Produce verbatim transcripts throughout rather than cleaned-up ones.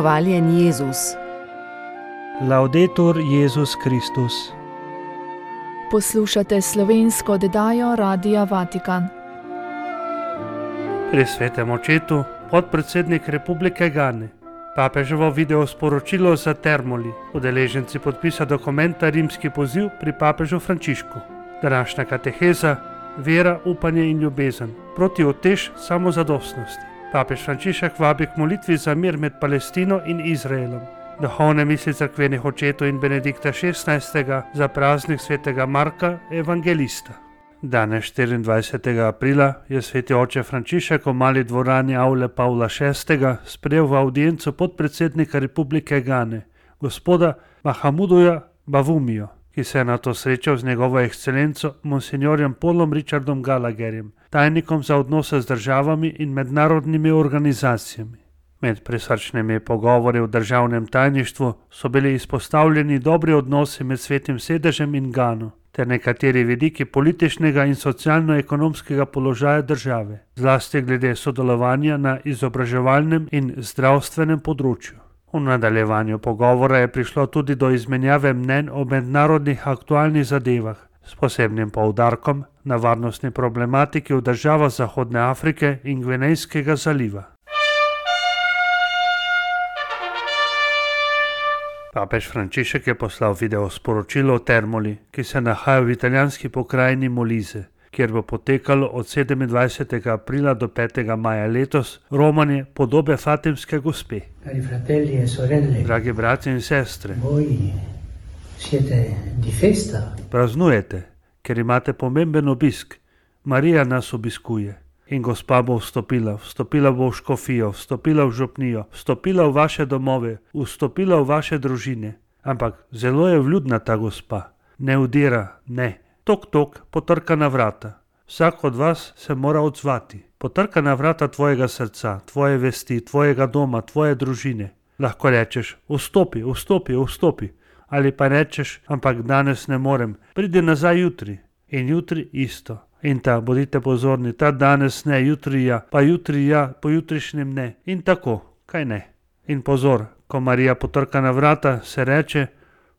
Hvaljen Jezus. Laudetur Jezus Kristus. Poslušate slovensko oddajo Radia Vatikan. Pri svetem očetu podpredsednik Republike Gane. Papeževo video sporočilo za Termoli. Udeleženci podpisa dokumenta Rimski poziv pri papežu Frančišku. Današnja kateheza: vera, upanje in ljubezen proti utež samozadostnosti. Papež Frančišek vabi k molitvi za mir med Palestino in Izraelom. Duhovne misli cerkvenih očetov in Benedikta šestnajstega za praznik svetega Marka evangelista. Danes štiriindvajsetega aprila je sveti oče Frančišek v mali dvorani avle Pavla šestega sprejel v avdienco podpredsednika Republike Gane, gospoda Mahamuduja Bavumijo, ki se je nato srečal z njegovo ekscelenco monsinjorjem Paulom Richardom Gallagherjem, tajnikom za odnose z državami in mednarodnimi organizacijami. Med prisrčnimi pogovori v državnem tajništvu so bili izpostavljeni dobri odnosi med svetim sedežem in Gano, ter nekateri vidiki političnega in socialno-ekonomskega položaja države, zlasti glede sodelovanja na izobraževalnem in zdravstvenem področju. V nadaljevanju pogovora je prišlo tudi do izmenjave mnenj o mednarodnih aktualnih zadevah, s posebnim poudarkom na varnostni problematiki v državah Zahodne Afrike in Gvinejskega zaliva. Papež Frančišek je poslal video sporočilo o Termoli, ki se nahaja v italijanski pokrajini Molise, kjer bo potekalo od sedemindvajsetega aprila do petega maja letos romanje podobe Fatimske gospe. Cari fratelli e sorelle, Dragi bratje in sestre, voi siete di festa. praznujete, ker imate pomemben obisk. Marija nas obiskuje. In gospa bo vstopila, vstopila bo v škofijo, vstopila v župnijo, vstopila v vaše domove, vstopila v vaše družine. Ampak zelo je vljudna ta gospa. Ne udira, ne. Tok, tok, potrka na vrata. Vsak od vas se mora odzvati. Potrka na vrata tvojega srca, tvoje vesti, tvojega doma, tvoje družine. Lahko rečeš: vstopi, vstopi, vstopi. Ali pa rečeš: ampak danes ne morem, pridi nazaj jutri. In jutri isto. In ta, bodite pozorni, ta danes ne, jutri ja, pa jutri ja, pojutrišnjem ne. In tako, kaj ne. In pozor, ko Marija potrka na vrata, se reče: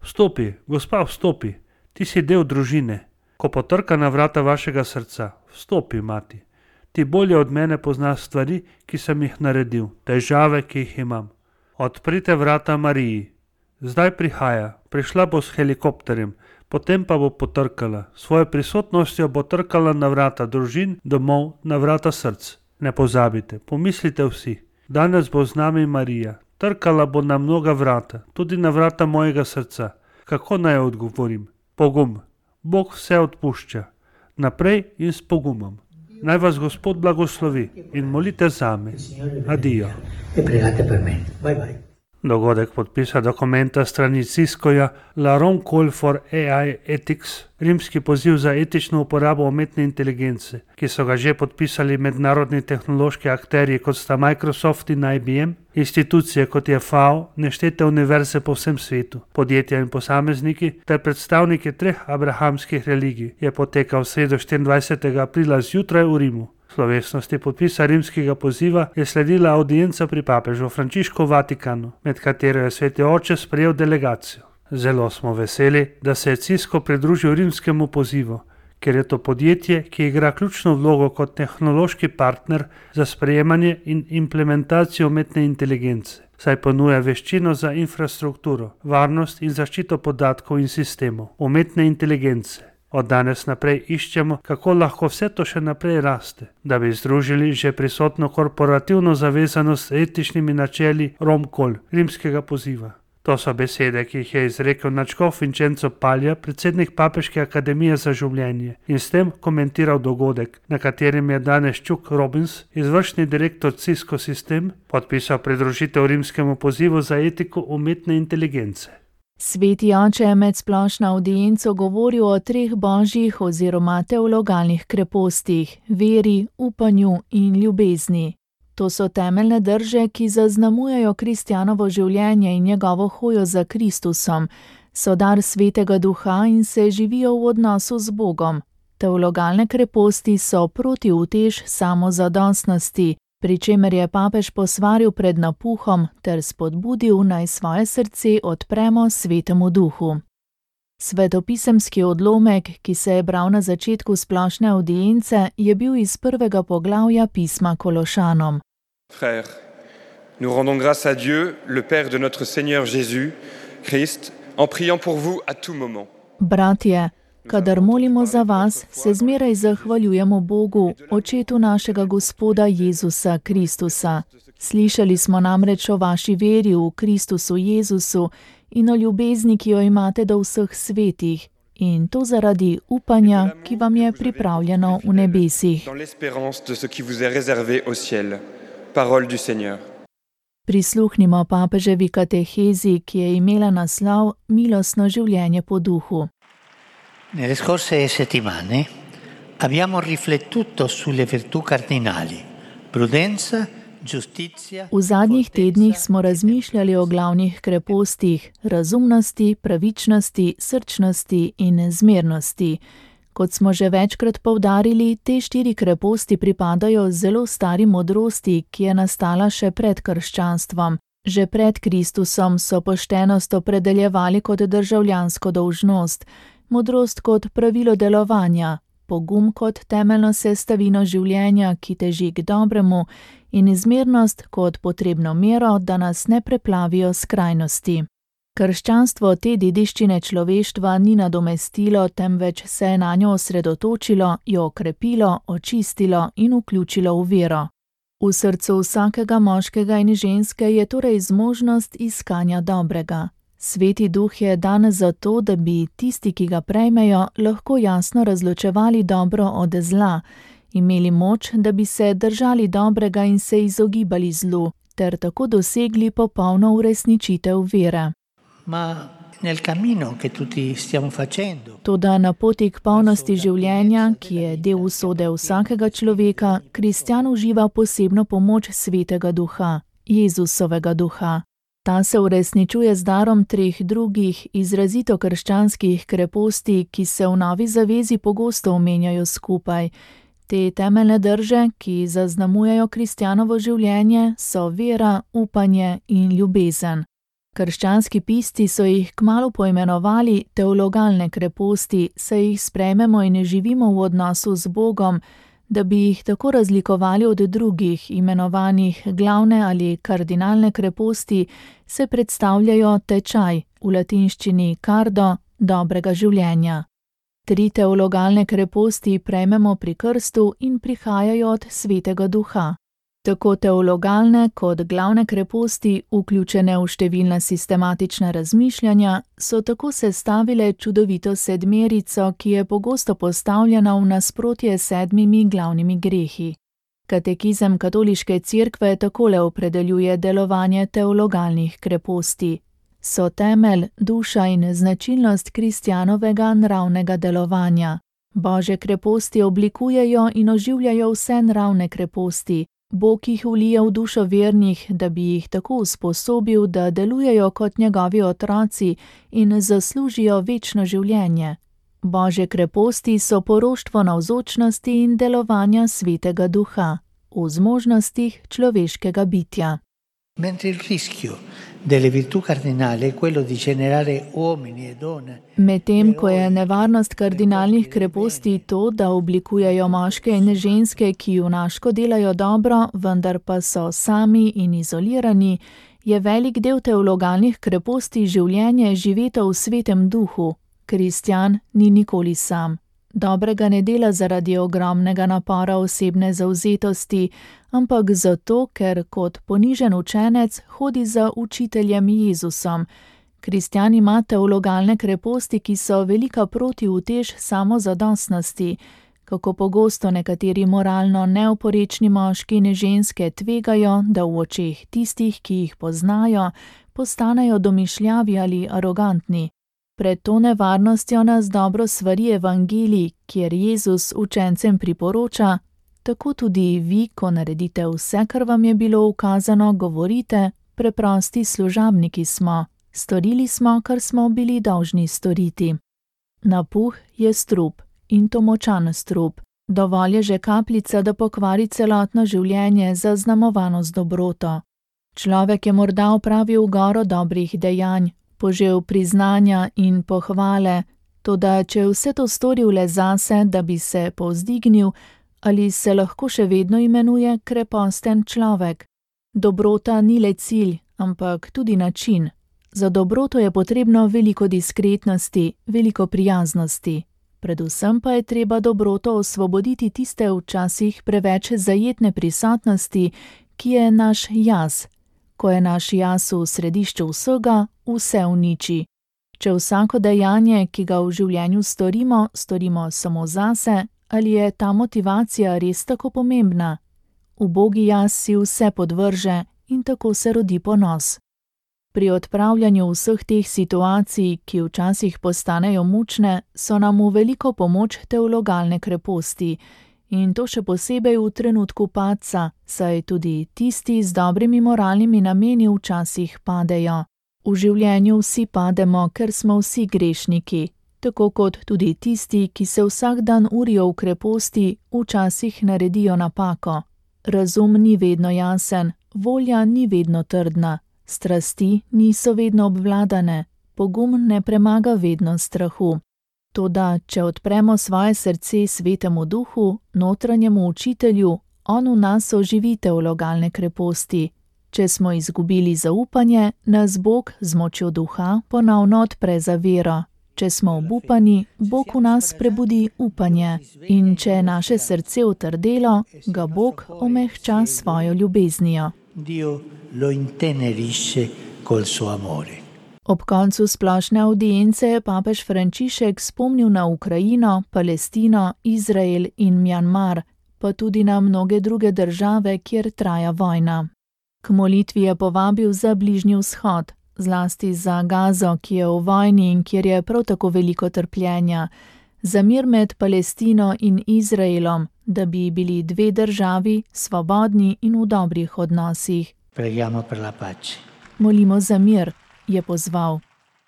vstopi, gospa, vstopi, ti si del družine. Ko potrka na vrata vašega srca, vstopi, mati. Ti bolje od mene poznaš stvari, ki sem jih naredil, težave, ki jih imam. Odprite vrata Mariji. Zdaj prihaja, prišla bo s helikopterjem, potem pa bo potrkala, svojo prisotnostjo bo trkala na vrata družin, domov, na vrata src. Ne pozabite, pomislite vsi, danes bo z nami Marija, trkala bo na mnoga vrata, tudi na vrata mojega srca. Kako naj odgovorim? Pogum. Bog vse odpušča. Naprej in s pogumom. Naj vas Gospod blagoslovi in molite zame. Adijo. E pregate per me. Bye bye. Dogodek podpisa dokumenta strani Ciscoja La Rome Call for A I Ethics, rimski poziv za etično uporabo umetne inteligence, ki so ga že podpisali mednarodni tehnološki akterji, kot sta Microsoft in I B M, institucije kot je F A O, neštete univerze po vsem svetu, podjetja in posamezniki ter predstavniki treh abrahamskih religij, je potekal v sredo štiriindvajsetega aprila zjutraj v Rimu. Slovesnosti podpisa rimskega poziva je sledila avdienca pri papežu Frančišku v Vatikanu, med katero je sveti oče sprejel delegacijo. Zelo smo veseli, da se je Cisco pridružil rimskemu pozivu, ker je to podjetje, ki igra ključno vlogo kot tehnološki partner za sprejemanje in implementacijo umetne inteligence, saj ponuja veščino za infrastrukturo, varnost in zaščito podatkov in sistemov umetne inteligence. Od danes naprej iščemo, kako lahko vse to še naprej raste, da bi združili že prisotno korporativno zavezanost s etičnimi načeli Rome Call, rimskega poziva. To so besede, ki jih je izrekel nadškof Vincenzo Paglia, predsednik Papeške akademije za življenje, in s tem komentiral dogodek, na katerem je danes Chuck Robbins, izvršni direktor Cisco System, podpisal pridružitev rimskemu pozivu za etiko umetne inteligence. Sveti oče je med splošno avdienco govoril o treh božjih oziroma teologalnih krepostih, veri, upanju in ljubezni. To so temeljne drže, ki zaznamujejo kristjanovo življenje in njegovo hojo za Kristusom, so dar svetega duha in se živijo v odnosu z Bogom. Teologalne kreposti so protiutež samozadostnosti, pri čemer je papež posvaril pred napuhom ter spodbudil, naj svoje srce odpremo Svetemu Duhu. Svetopisemski odlomek, ki se je bral na začetku splošne avdience, je bil iz prvega poglavja pisma Kološanom. Frères, nous rendons grâce à Dieu, le Père de notre Seigneur Jésus, Christ, en priant pour vous à tout moment. Bratje, kadar molimo za vas, se zmeraj zahvaljujemo Bogu, Očetu našega Gospoda Jezusa Kristusa. Slišali smo namreč o vaši veri v Kristusu Jezusu in o ljubezni, ki jo imate do vseh svetih, in to zaradi upanja, ki vam je pripravljeno v nebesih. Prisluhnimo papeževi katehezi, ki je imela naslov Milostno življenje po duhu. Nelle scorse settimane abbiamo riflettuto sulle virtù cardinali, prudenza, giustizia. V zadnjih tednih smo razmišljali o glavnih krepostih, razumnosti, pravičnosti, srčnosti in zmernosti. Kot smo že večkrat poudarili, te štiri kreposti pripadajo zelo stari modrosti, ki je nastala še pred krščanstvom. Že pred Kristusom so poštenost opredeljevali kot državljansko dolžnost, modrost kot pravilo delovanja, pogum kot temeljno sestavino življenja, ki teži k dobremu, in izmernost kot potrebno mero, da nas ne preplavijo skrajnosti. Krščanstvo te dediščine človeštva ni nadomestilo, temveč se je nanjo osredotočilo, jo okrepilo, očistilo in vključilo v vero. V srcu vsakega moškega in ženske je torej zmožnost iskanja dobrega. Sveti Duh je dan zato, da bi tisti, ki ga prejmejo, lahko jasno razločevali dobro od zla, imeli moč, da bi se držali dobrega in se izogibali zlu, ter tako dosegli popolno uresničitev vere. Ma nel cammino che tutti stiamo facendo. Toda na poti k polnosti življenja, ki je del usode vsakega človeka, kristjan uživa posebno pomoč Svetega Duha, Jezusovega Duha. Ta se uresničuje z darom treh drugih, izrazito krščanskih kreposti, ki se v Novi zavezi pogosto omenjajo skupaj. Te temeljne drže, ki zaznamujejo kristjanovo življenje, so vera, upanje in ljubezen. Krščanski pisci so jih kmalu poimenovali teologalne kreposti, saj jih sprejmemo in živimo v odnosu z Bogom, da bi jih tako razlikovali od drugih, imenovanih glavne ali kardinalne kreposti, se predstavljajo tečaj, v latinščini cardo, dobrega življenja. Tri teologalne kreposti prejmemo pri krstu in prihajajo od Svetega Duha. Tako teologalne kot glavne kreposti, vključene v številna sistematična razmišljanja, so tako sestavile čudovito sedmerico, ki je pogosto postavljena v nasprotje s sedmimi glavnimi grehi. Katekizem katoliške cerkve takole opredeljuje delovanje teologalnih kreposti. So temelj, duša in značilnost kristjanovega nravnega delovanja. Božje kreposti oblikujejo in oživljajo vse nravne kreposti. Bog jih vlije v dušo vernih, da bi jih tako usposobil, da delujejo kot njegovi otroci in zaslužijo večno življenje. Božje kreposti so poroštvo navzočnosti in delovanja Svetega Duha, v zmožnostih človeškega bitja. Mentre il rischio delle virtù cardinali è quello di generare uomini e donne. Medtem ko je nevarnost kardinalnih kreposti to, da oblikujejo moške in ženske, ki junaško delajo dobro, vendar pa so sami in izolirani, je velik del teologalnih kreposti življenje živeto v Svetem Duhu. Kristjan ni nikoli sam. Dobrega ne dela zaradi ogromnega napora osebne zavzetosti, ampak zato, ker kot ponižen učenec hodi za učiteljem Jezusom. Kristjan ima teologalne kreposti, ki so velika protiutež samozadostnosti. Kako pogosto nekateri moralno neoporečni moški in ženske tvegajo, da v očeh tistih, ki jih poznajo, postanejo domišljavi ali arogantni. Pred to nevarnostjo nas dobro svari evangelij, kjer Jezus učencem priporoča: tako tudi vi, ko naredite vse, kar vam je bilo ukazano, govorite: preprosti služabniki smo, storili smo, kar smo bili dolžni storiti. Napuh je strup, in to močan strup. Dovolj je že kapljica, da pokvari celotno življenje, zaznamovano z dobroto. Človek je morda opravil goro dobrih dejanj, požel priznanja in pohvale, toda če je vse to storil le zase, da bi se povzdignil, ali se lahko še vedno imenuje kreposten človek? Dobrota ni le cilj, ampak tudi način. Za dobroto je potrebno veliko diskretnosti, veliko prijaznosti. Predvsem pa je treba dobroto osvoboditi tiste včasih preveč zajetne prisotnosti, ki je naš jaz. Ko je naš jaz v središču vsega, vse uniči. Če vsako dejanje, ki ga v življenju storimo, storimo samo zase, ali je ta motivacija res tako pomembna? Ubogi jaz si vse podvrže in tako se rodi ponos. Pri odpravljanju vseh teh situacij, ki včasih postanejo mučne, so nam v veliko pomoč teologalne kreposti. In to še posebej v trenutku padca, saj tudi tisti z dobrimi moralnimi nameni včasih padejo. V življenju vsi pademo, ker smo vsi grešniki, tako kot tudi tisti, ki se vsak dan urijo v kreposti, včasih naredijo napako. Razum ni vedno jasen, volja ni vedno trdna, strasti niso vedno obvladane, pogum ne premaga vedno strahu. Toda, če odpremo svoje srce Svetemu Duhu, notranjemu učitelju, on v nas oživi teologalne kreposti. Če smo izgubili zaupanje, nas Bog z močjo duha ponovno odpre za vero. Če smo obupani, Bog v nas prebudi upanje. In če je naše srce utrdelo, ga Bog omehča svojo ljubeznijo. Dio lo intenerisce col suo amore. Ob koncu splošne avdience je papež Frančišek spomnil na Ukrajino, Palestino, Izrael in Mjanmar, pa tudi na mnoge druge države, kjer traja vojna. K molitvi je povabil za Bližnji vzhod, zlasti za Gazo, ki je v vojni in kjer je prav tako veliko trpljenja, za mir med Palestino in Izraelom, da bi bili dve državi svobodni in v dobrih odnosih. Preghiamo per la pace. Molimo za mir, je pozval.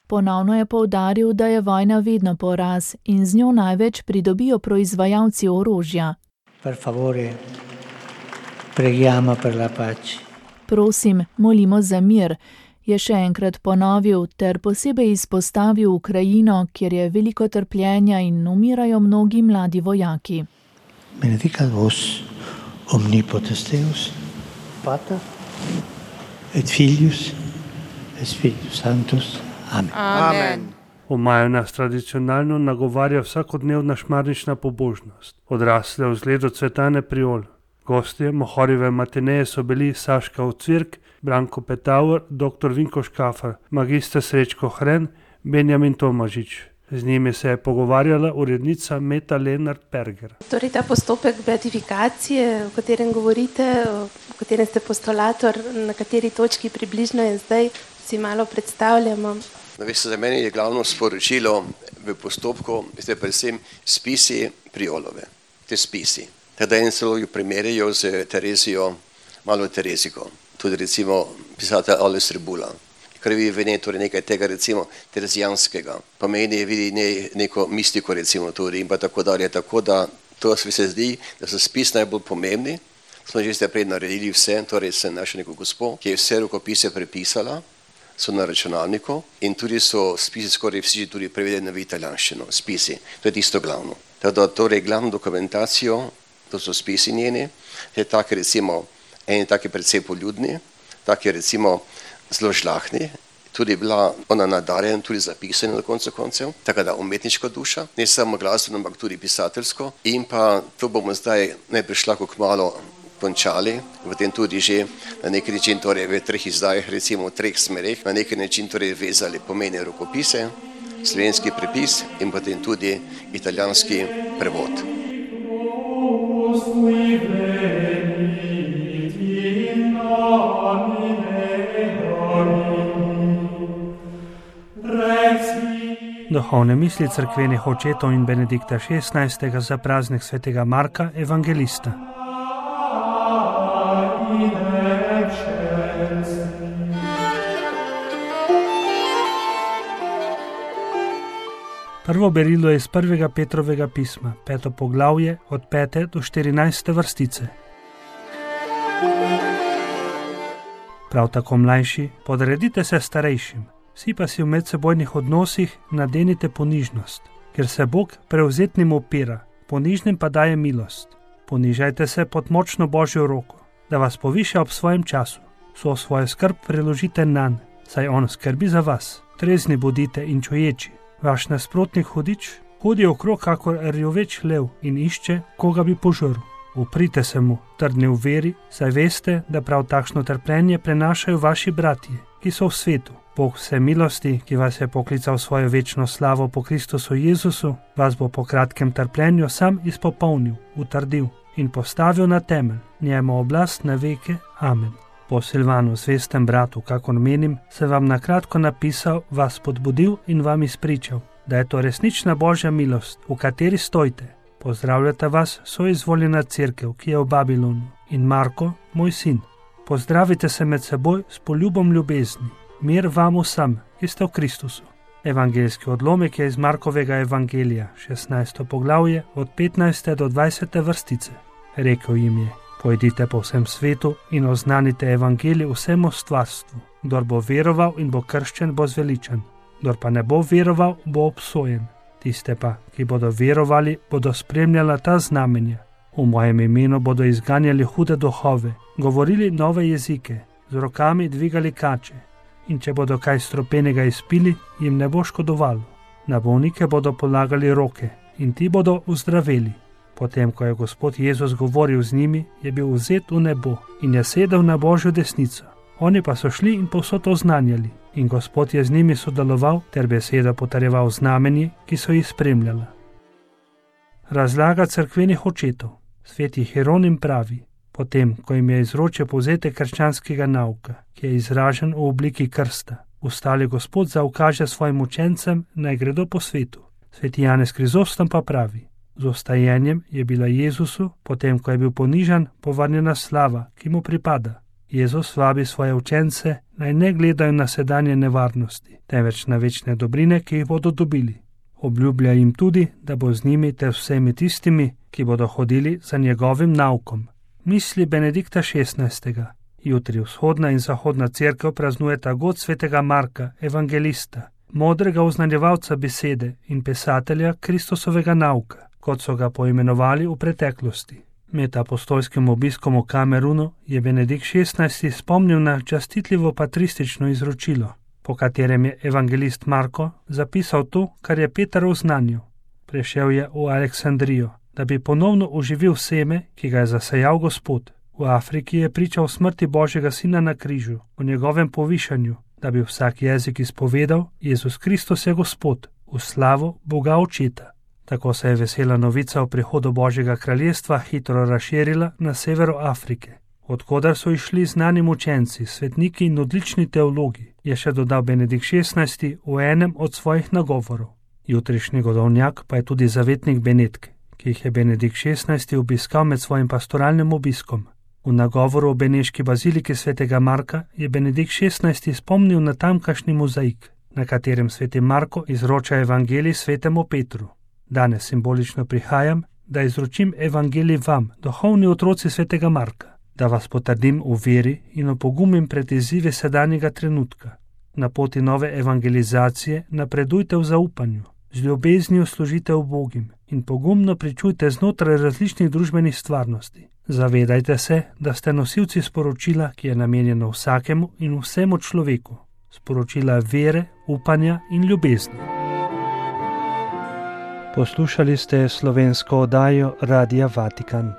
Ponovno je poudaril, da je vojna vedno poraz in z njo največ pridobijo proizvajalci orožja. Per favore, preghiamo per la pace. Prosim, molimo za mir, je še enkrat ponovil ter posebej izpostavil Ukrajino, kjer je veliko trpljenja in umirajo mnogi mladi vojaki. Benedicat vos omnipotens Deus, Pater et Filius et Spiritus Sanctus. Amen. Amen. V maju nas tradicionalno nagovarja vsakodnevna šmarnična pobožnost, odrasle v zgledu Cvetane Priol. Gostje Mohorjeve matineje so bili Saška Ocvirk, Branko Petauer, doktor Vinko Škafar, magister Srečko Hren, Benjamin Tomažič. Z njimi se je pogovarjala urednica Meta Lenart-Perger. Torej ta postopek beatifikacije, o katerem govorite, o katerem ste postulator, na kateri točki približno je zdaj, si malo predstavljamo. No, veste, za meni je glavno sporočilo v postopku, veste, predvsem spisi Priolove, te spisi. Teda en celo jo primerjajo z Terezijo, malo Tereziko, tudi recimo pisatelj Alois Rebula, kar vidi v njej torej nekaj tega recimo terezijanskega, pa meni vidi ne, neko mistiko recimo tudi in pa tako dalje, tako da to se zdi, da so spis najbolj pomembni. Smo že zdaj prej naredili vse, torej se našo neko gospo, ki je vse rokopise prepisala, so na računalniku in tudi so spisi skoraj vsi tudi prevedeni v italijanščino, spisi, to je tisto glavno. Teda torej glavno dokumentacijo, to so spisi njeni, je taki recimo, eni taki predvsej poljudni, taki recimo zelo žlahni, tudi bila ona nadarjena, tudi zapisana na koncu koncev, tako da umetniška duša, ne samo glasbeno, ampak tudi pisateljsko in pa to bomo zdaj najprej šlako kmalo končali, v tem tudi že na neki način torej v treh izdajah, recimo v treh smereh, na neki način torej vezali pomene rokopise, slovenski prepis in potem tudi italijanski prevod. Duhovne misli cerkvenih očetov in Benedikta šestnajstega za praznik svetega Marka Evangelista. Prvo berilo je iz prvega Petrovega pisma, peto poglavje, od pete do štirinajste vrstice. Prav tako mlajši, podredite se starejšim, vsi pa si v medsebojnih odnosih nadenite ponižnost, ker se Bog prevzetnim opira, ponižnim pa daje milost. Ponižajte se pod močno Božjo roko, da vas poviša ob svojem času. Vso svojo skrb preložite nanj, saj on skrbi za vas. Trezni bodite in čuječi. Vaš nasprotnik hudič hodi okrog kakor rjoveč lev in išče, koga bi požrl. Uprite se mu, trdni v veri, saj veste, da prav takšno trpljenje prenašajo vaši bratje, ki so v svetu. Bog vse milosti, ki vas je poklical svojo večno slavo po Kristusu Jezusu, vas bo po kratkem trpljenju sam izpopolnil, utrdil in postavil na temelj, njemu oblast na veke. Amen. Po Silvanu, zvestem bratu, kakor menim, sem vam nakratko napisal, vas podbudil in vam izpričal, da je to resnična Božja milost, v kateri stojite. Pozdravljata vas soizvoljena cerkev, ki je v Babilonu, in Marko, moj sin. Pozdravite se med seboj s poljubom ljubezni. Mir vam vsem, ki ste v Kristusu. Evangeljski odlomek je iz Markovega evangelija, šestnajsto poglavje, od petnajste do dvajsete vrstice. Rekel jim je: pojdite po vsem svetu in oznanite evangelij vsemu stvarstvu. Kdor bo veroval in bo krščen, bo zveličan. Kdor pa ne bo veroval, bo obsojen. Tiste pa, ki bodo verovali, bodo spremljala ta znamenja. V mojem imenu bodo izganjali hude duhove, govorili nove jezike, z rokami dvigali kače. In če bodo kaj stropenega izpili, jim ne bo škodovalo. Na bolnike bodo polagali roke in ti bodo uzdraveli. Potem, ko je Gospod Jezus govoril z njimi, je bil vzet v nebo in je sedel na Božjo desnico. Oni pa so šli in povsod oznanjali, in Gospod je z njimi sodeloval ter besedo potrjeval znamenji, ki so jih spremljala. Razlaga cerkvenih očetov. Sveti Hieronim pravi: potem, ko jim je izročil povzetek krščanskega nauka, ki je izražen v obliki krsta, ustali Gospod zaukaže svojim učencem, naj gredo po svetu. Sveti Janez Krizostom pa pravi: z ostajenjem je bila Jezusu, potem ko je bil ponižan, povrnjena slava, ki mu pripada. Jezus vabi svoje učence, naj ne gledajo na sedanje nevarnosti, temveč na večne dobrine, ki jih bodo dobili. Obljublja jim tudi, da bo z njimi ter vsemi tistimi, ki bodo hodili za njegovim naukom. Misli Benedikta šestnajstega. Jutri vzhodna in zahodna cerkev praznujeta god svetega Marka, evangelista, modrega oznanjevalca besede in pisatelja Kristusovega nauka, kot so ga poimenovali v preteklosti. Med apostolskim obiskom v Kamerunu je Benedikt šestnajsti spomnil na častitljivo patristično izročilo, po katerem je evangelist Marko zapisal to, kar je Peter oznanil. Prišel je v Aleksandrijo, da bi ponovno oživil seme, ki ga je zasejal Gospod. V Afriki je pričal smrti Božjega Sina na križu, o njegovem povišanju, da bi vsak jezik izpovedal: Jezus Kristus je Gospod, v slavo Boga Očeta. Tako se je vesela novica o prihodu Božjega kraljestva hitro razširila na severu Afrike, odkudar so išli znani učenci, svetniki in odlični teologi, je še dodal Benedikt šestnajsti v enem od svojih nagovorov. Jutrišnji godovnjak pa je tudi zavetnik Benetke, ki jih je Benedikt šestnajsti obiskal med svojim pastoralnim obiskom. V nagovoru o beneški baziliki svetega Marka je Benedikt šestnajsti spomnil na tamkajšnji mozaik, na katerem sveti Marko izroča evangelij svetemu Petru. Danes simbolično prihajam, da izročim evangelij vam, duhovni otroci svetega Marka, da vas potrdim v veri in opogumim pred izzivi sedanjega trenutka. Na poti nove evangelizacije napredujte v zaupanju, z ljubeznijo služite ubogim in pogumno pričujte znotraj različnih družbenih stvarnosti. Zavedajte se, da ste nosilci sporočila, ki je namenjeno vsakemu in vsemu človeku, sporočila vere, upanja in ljubezni. Poslušali ste slovensko oddajo Radia Vatikan.